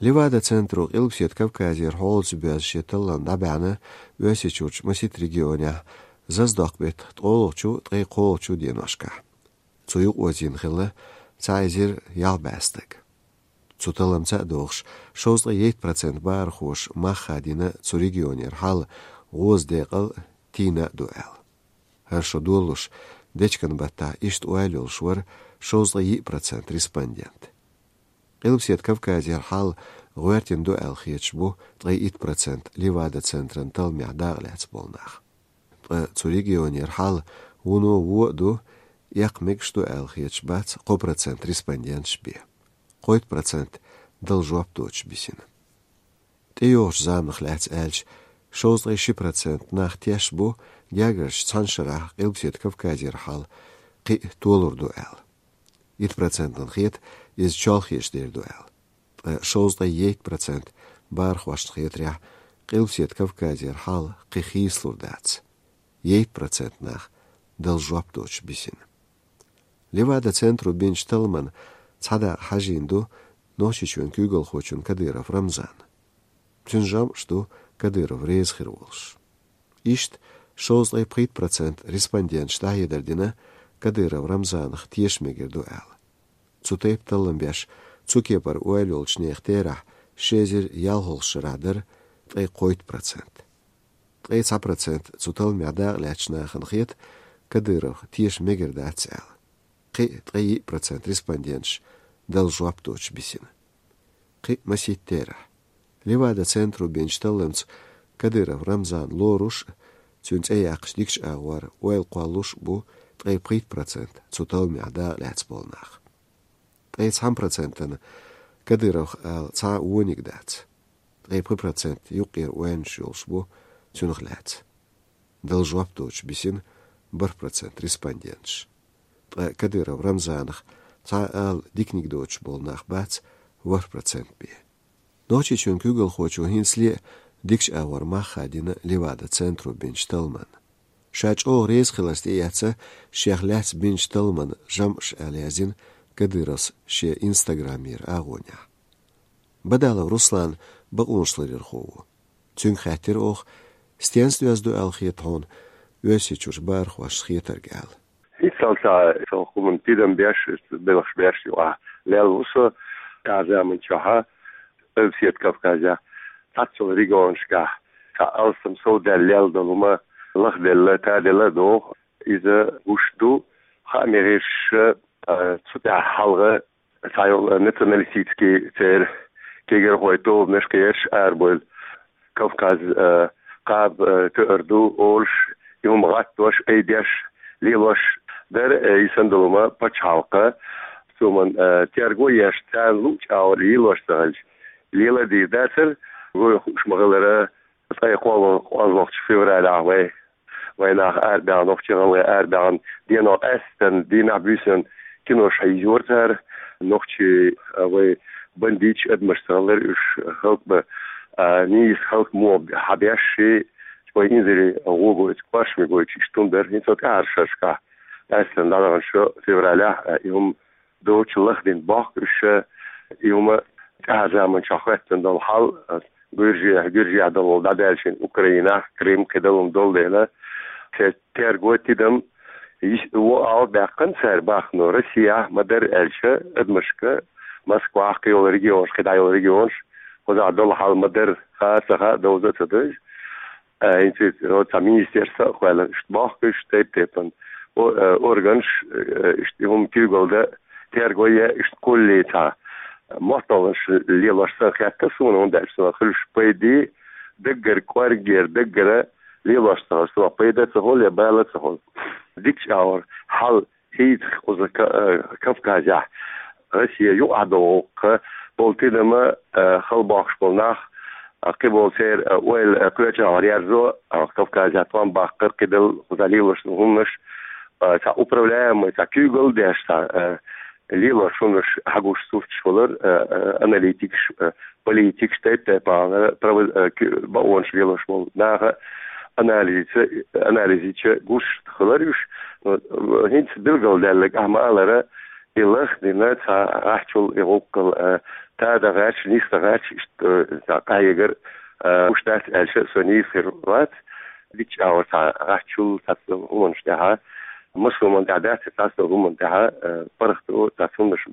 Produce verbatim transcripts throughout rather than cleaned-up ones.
Левада-центро Къилбаседа Кавказера хьолаца боьзна шен таллам дӀабаьхьна Оьрсийчуьрчу масийтта регионехь, Зазадоккху-беттан ткъолгӀачу, ткъе кхоалгӀачу деношкахь. Цу юкъаозийна хилла цхьа эзар ялх бӀе стаг. Цу талламца а догӀуш, шовзткъе итт процент бахархоша мах хадийна цу регионера хьал гӀоза декъал тийна а ду аьлла. ХӀара шо долалуш, дечкен-баттахь иштта ойла йолуш вара шовзткъе йиъ процент респондент. Къилбаседа Кавказера хьал гӀоьртина ду аьлла хеташ бу ткъе итт процент Левада-центран талламехь дакъа лаьцна болу нах. Ткъа цу регионера хьал вуно вон а ду, эккха мегаш ду аьлла хеташ бац кхо процент респонденташ бен. Кхойтта процент дала жоп доцуш бисина. ТӀейогӀучу заманах лаьцна аьлча, шовзткъе ши процент нах тешна бу, гергарчу цхьана шарахь Къилбаседа Кавказера хьал кхин а толур ду аьлла. Итт процентана хета, иза чолхечу дер ду аьлла. Ткъа шовзткъе итт процент бахархошна хетарехь, Къилбаседа Кавказера хьал кхин хийцалур дац. Итт процент нах дала жоп доцуш бисина. Левада-центро бинчу талламан цхьа дакъа хьажийна ду Нохчийчоьнан куьйгалхочун Кадыров Рамзанан. Цуьнан жамӀаш ду Кадыров реза хир волуш. Иштта шовзткъе пхийтта процент респонденташа дӀахьедар дина, Кадыров Рамзанах теша мегар ду аьлла. Цу тайпа таллам беш, цу кепара ойла йолчу нехан терахь ши эзар ялхалгӀачу шарахь дара ткъе кхойтта процент. Ткъе цхьа процент цу талламехь дакъа лаьцначу нахана хета, Кадыровх теша мегар дац аьлла. Кхин а ткъе йиъ процент респонденташ дала жоп доцуш бисина. Кхин а масийтта терахь. Левада-центро бинчу талламца Кадыров Рамзан лоруш а, цуьнан цӀе яккхачу дикачу агӀор ойла кхоллалуш а бу ткъе пхийтта процент цу талламехь дакъа лаьцна болу нах. Ткъе цхьана процентана Кадыровх ала цхьа а вониг дац. Ткъе пхи процент юккъера ойланаш йолуш бу цуьнах лаьцна. Дала жоп доцуш бисина бархӀ процент респонденташ. Ткъа Кадыров Рамзанах цхьа а ала диканиг доцуш болу нах бац ворхӀ процент бен. Нохчийчоьнан куьйгалхочо хӀинцале а дикачу агӀор мах хадийна Левада-центро бинчу талламан. Ша чӀогӀа реза хиларца тӀеэцна шех лаьцна бинчу талламан жамӀаш аьлла яздина Кадыровс шен инстаграмера агӀонехь. Бадалов Руслан бакъонашларъярхо ву. Цуьнга хаьттира оха, стенца доьзна ду аьлла хета хьуна Оьрсийчуьрчу бахархошна хетарг аьлла. ХӀинццалц сан хӀуманна тидам беш, белхаш беш юкъахь лелла ву со, тӀаьхьа заманчохь Къилбаседа Кавказехь цхьаццалла регионашкахь цхьа алсам совдаьлла лелла долу хӀума лахделла, таделла а догӀу. Иза гуш ду, хааман гӀирсаша, а, цу тӀехь хьалха цхьайолу националистический церан кегирхой тобанаш кхераш арабевлла, Кавказ, э, кхаба, э, тоьар ду олуш, и хӀума гӀаттош, айдеш, лелош дара, э, и санна долу хӀума пачхьалкхан. Цу хӀуманна, э, терго еш, царна луъучу агӀор лелош ца хилча, лела а дийр дацара, вайна хууш ма-хиллара, ткъе кхоалгӀа-, кхоалгӀачу февралехь вай, вайн нах арабаьхна, нохчий, гӀалгӀай арабаьхна, дийнахь къаьсттина, дийнахь буьйсанна кинош хьийзора цара. Нохчий, а, вай бандиташ, адамаш ца хилара уьш, халкъ бан, а, нийса халкъ муха хьабеш, вай инзаре гӀо гойтуш, кошаме гойтуш, иштта хӀума дара. ХӀинца тӀаьхьарчу шерашкахь, къаьсттина дӀадаханчу февралехь, а, и хӀума доцуш лахдина бохку уьш, и хӀума тӀаьхьарчу заманчохь хӀоьттина долу хьал, гуьржехь, гуьржехь долу дӀадаьлча Украинехь, Крым, кхидолу хӀума долу дела, церан терго, тидам йиш-, вон агӀор баьккхина цара бахано, Россехь ма-дарра аьлча, адамашка Москвахь, кхийолу регионаш, кхидӀа йолу регионаш, кхузахь долу хьал ма-дарра, хаа а ца хаа, довза а ца довза. А, хӀинца иза цхьа министерство а кхоьллина, иштта бохку уьш тайп-тайпана о-, э, органаш, э, иштта и хӀума куьйгалла дан, терго е, иштта кхуллий цхьа мотталгӀанаш лелош санна хетта суна, хӀунда аьлча суна хуьлуш пайде, даггара кӀоргера, даггара лелош ца хуьлу, суна пайда ца хуьлу я бала ца хуьлу. Дикачу агӀор хьал хӀинца кхуза Ка-, э, Кавказехь, Россия юкъахь долу гӀуллакх, болу тидама, э, хала бохкуш болу нах, э, кхиболу церан, э, ойла, э, кхечу агӀор ерзо, э, Кавказехь тӀом баккхар, кхидолу кхузахь лелош долу хӀуманаш, э, цхьа управляемый, цхьа куьйгалла деш, цхьа, э, лелош хӀуманаш хьагуш сурташ хилар, э, э, аналитикаш, э, политикаш, тайп-тайпана право-, э, ки-, бакъонаш лелош болу наха анализица, анализича гуш хилар уьш. Но, э, хӀинца билгалдаьлларг ахь ма-аллара, и лахдина цхьа гӀаччул и гӀуллакх, э, Да, да, гӀаьрча, нийса да гӀаьрча, иштта, э, цхьа къахьегар, э, уш дац аьлча, со нийса хир вац. Дикача агӀор цхьа гӀаччул, цхьацца хӀуманаш тӀехьа, массо хӀуман тӀехьа дац, цхьацца хӀуман тӀехьа, э, паргӀато, цхьацца хӀуманаш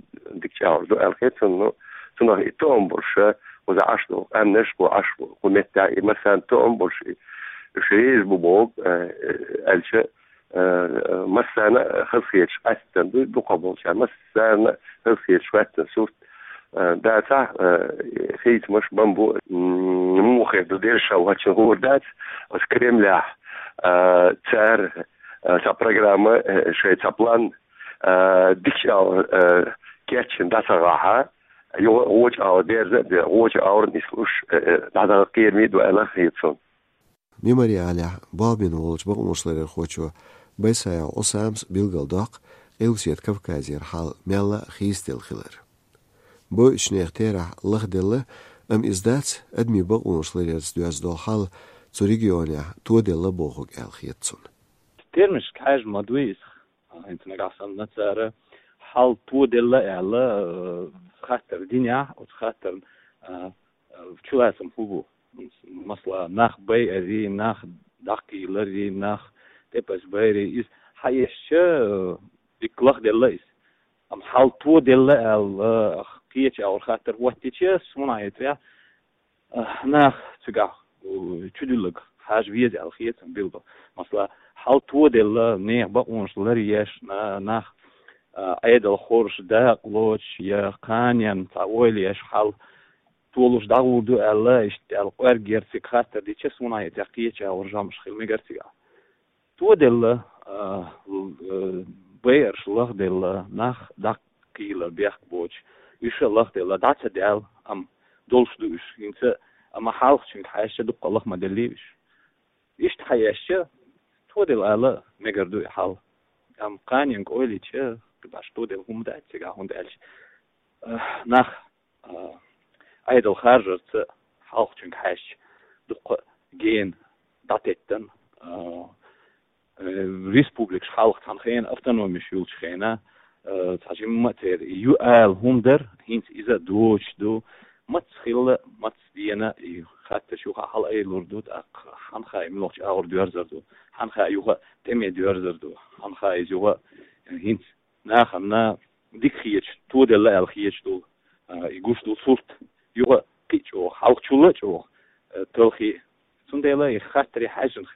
дикача агӀор ду аьлла хет сона, но цунах и тоам болуш, кхуза Ӏаш долу къаьмнаш, кху Ӏаш, кху меттехь, и массарна тоам болуш, и, уьш реза бу боху, э, э, аьлча, э, массарна хазахеташ хаттар ду, дукхахболчарна массарна хазахеташ хаттар сурт, э, дацахь, э, хийцамаш бан бу, м, муха хир ду дерриге а ваьчча хуур дац, оцу Кремлехь, э, цара, э, цхьа программа, э, шайн цхьа план, э, дикача агӀор, э, кечйина дӀа ца гӀахьа, юха гӀоча агӀор дерза а де, гӀоча агӀор нислуш, э, э, дӀадахьа кхераме а ду аьлла хета суна. Мемориалехь болх бина волчу бакъонашларъярхочо Байсаев Ӏусамас билгалдоккху Къилбаседа Кавказера хьал мелла а хийцаделла хилар. Бойучу нехан терахь лахделла, амма иза дац адамийн бакъонашларъярца доьзна долу хьал цу регионехь тоделла бохург аьлла хета цунна. Терминашка хьаьжна ма дуй иза. ХӀинца нагахь санна цара хьал тоделла аьлла, э, хаттар динехь, оцу хаттарна, э, э, чулацам хӀун бу? Масала, нах байарий, нах дӀакхийларий, нах тӀепаза байарий, иза хьаэшча, э, дикка лахделла иза. Амма хьал тоделла аьлла, кхечу агӀор хаттар хӀоттича, суна хетарехь, а, нах цигахь, у, чудилларг хьажа веза аьлла хета сан билггал. Масала, хьал тоделла, нехан бакъонаш ларъеш, на-, нах, а, Ӏедал хоржуш дакъа лоцуш я кханенна цхьа ойла еш хьал толуш дӀагӀур ду аьлла, иштта аьлла, кӀорггера цига хаттар дича, суна хетарехь, кхечу агӀор жамӀаш хила мегар цигахь. Тоделла, а, л-, э, байарш лахделла, нах дӀакхийлар бехк боцуш, уьш а лахделла, дӀа ца даьлла, амма долуш ду уьш. ХӀинца, амма хьалхачуьнга хьаьжча, дуккха лаха ма деллий уьш. Иштта хьаэшча, тоделла ала мегар ду и хьал. Амма кханенга ойла йича, кхибаш тоделла хӀума дац цигахь, хӀунда аьлча, э, нах а, Ӏедал харжарца хьалхачуьнга хьаьжча, дуккха гена дӀатеттан, а, э, республикаш хьалха цхьана хенахь автономеш йолчу хенахь, а, цхьа жимма а церан ю ала хӀума дара, хӀинца иза а доцуш ду. Маца хилла, маца дена и хаттарш юха хьалаайалур ду, тӀаккха хьанна хаьа, муьлхачу агӀор доьрзур ду, хьанна хаьа, юха тӀаме доьрзур ду, хьанна хаьа, иза юха хӀинца нахана дика хеташ, тоделла аьлла хеташ долу, а, и гуш долу сурт, юха кхин а чӀогӀа, хьалхачул а чӀогӀа, а, талхий. Цундела и хаттаре хьаьжжина